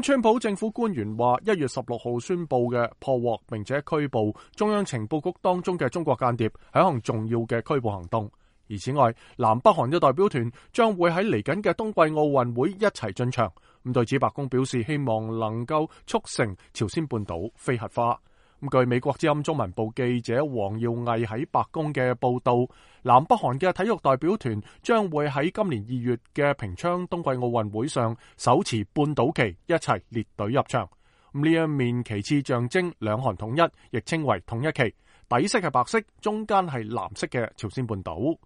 川普政府官員話，1月16號宣布嘅破獲並且拘捕中央情報局當中嘅中國間諜係一項重要嘅拘捕行動。而此外，南北韓嘅代表團將會喺嚟緊嘅冬季奧運會一齊進場。對此，白宮表示希望能夠促成朝鮮半島非核化。據美國之音中文部記者黃耀毅喺白宮嘅報道，南北韓嘅體育代表團將會喺今年2月嘅平昌冬季奧運會上手持半島旗一齊列隊入場。呢一面旗幟象徵兩韓統一，亦稱為統一旗，底色係白色，中間係藍色嘅朝鮮半島。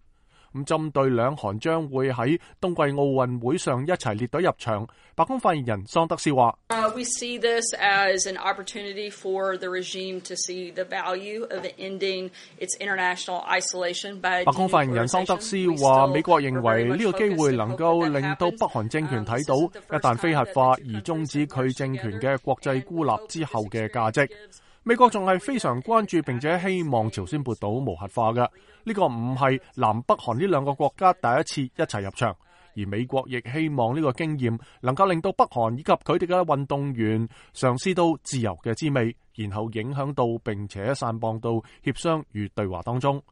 針對兩韓將會喺冬季奧運會上一齊列隊入場，白宮發言人桑德斯話：We see this as an opportunity for the regime to see the value of ending its international isolation by。白宮發言人桑德斯話：美國認為呢個機會能夠令到北韓政權睇到，一旦非核化而終止佢政權嘅國際孤立之後嘅價值。美國仲係非常關注並且希望朝鮮半島無核化嘅，呢個唔係南北韓呢兩個國家第一次一齊入場，而美國亦希望呢個經驗能夠令到北韓以及佢哋嘅運動員嘗試到自由嘅滋味，然後影響到並且散播到協商與對話當中。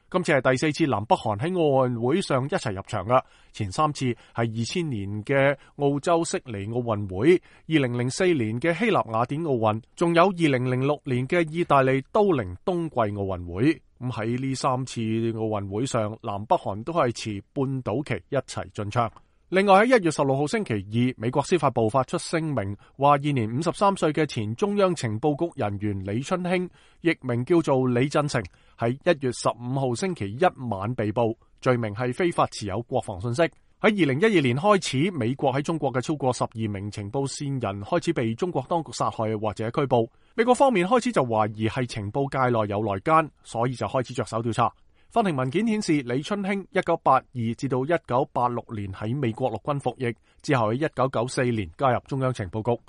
今次係第4次南北韓喺奧運會上一齊入場㗎，前3次係2000年嘅澳洲悉尼奧運會、2004年嘅希臘雅典奧運，仲有2006年嘅意大利都靈冬季奧運會。喺呢3次奧運會上，南北韓都係持半島旗一齊進場。另外喺1月16號星期二，美國司法部發出聲明，話現年53歲嘅前中央情報局人員李春興，譯名叫做李振成，喺1月15號星期一晚被捕，罪名係非法持有國防信息。喺2012年開始，美國喺中國嘅超過12名情報線人開始被中國當局殺害或者拘捕。美國方面開始就懷疑係情報界內有內奸，所以就開始着手調查。法庭文件顯示，李春興1982至到1986年喺美國陸軍服役，之後喺1994年加入中央情報局。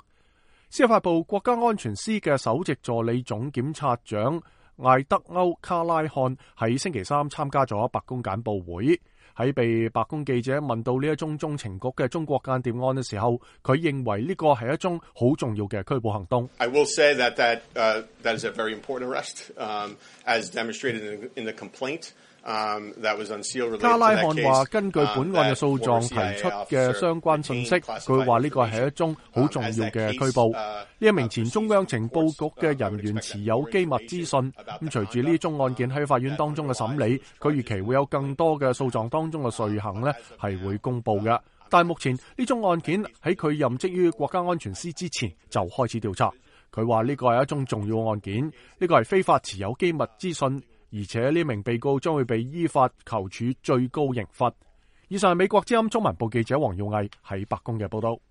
司法部國家安全司嘅首席助理總檢察長艾德歐卡拉漢喺星期三參加咗白宮簡報會。喺被白宮記者問到呢一宗中情局嘅中國間諜案嘅時候，佢認為呢個係一宗好重要嘅拘捕行動。I will say that is a very important arrest, as demonstrated in the complaint. 卡拉漢話：根據本案嘅訴狀提出嘅相關信息，佢話呢個係一宗好重要嘅拘捕。呢一名前中央情報局嘅人員持有機密資訊。隨住呢宗案件喺法院當中嘅審理，佢預期會有更多嘅訴狀當中嘅罪行呢係會公佈嘅。但係目前呢宗案件喺佢任職於國家安全司之前就開始調查。佢話呢個係一宗重要案件，呢個係非法持有機密資訊。而且呢名被告將會被依法求處最高刑罰。以上係美國之音中文部記者黃耀毅喺白宮嘅報道。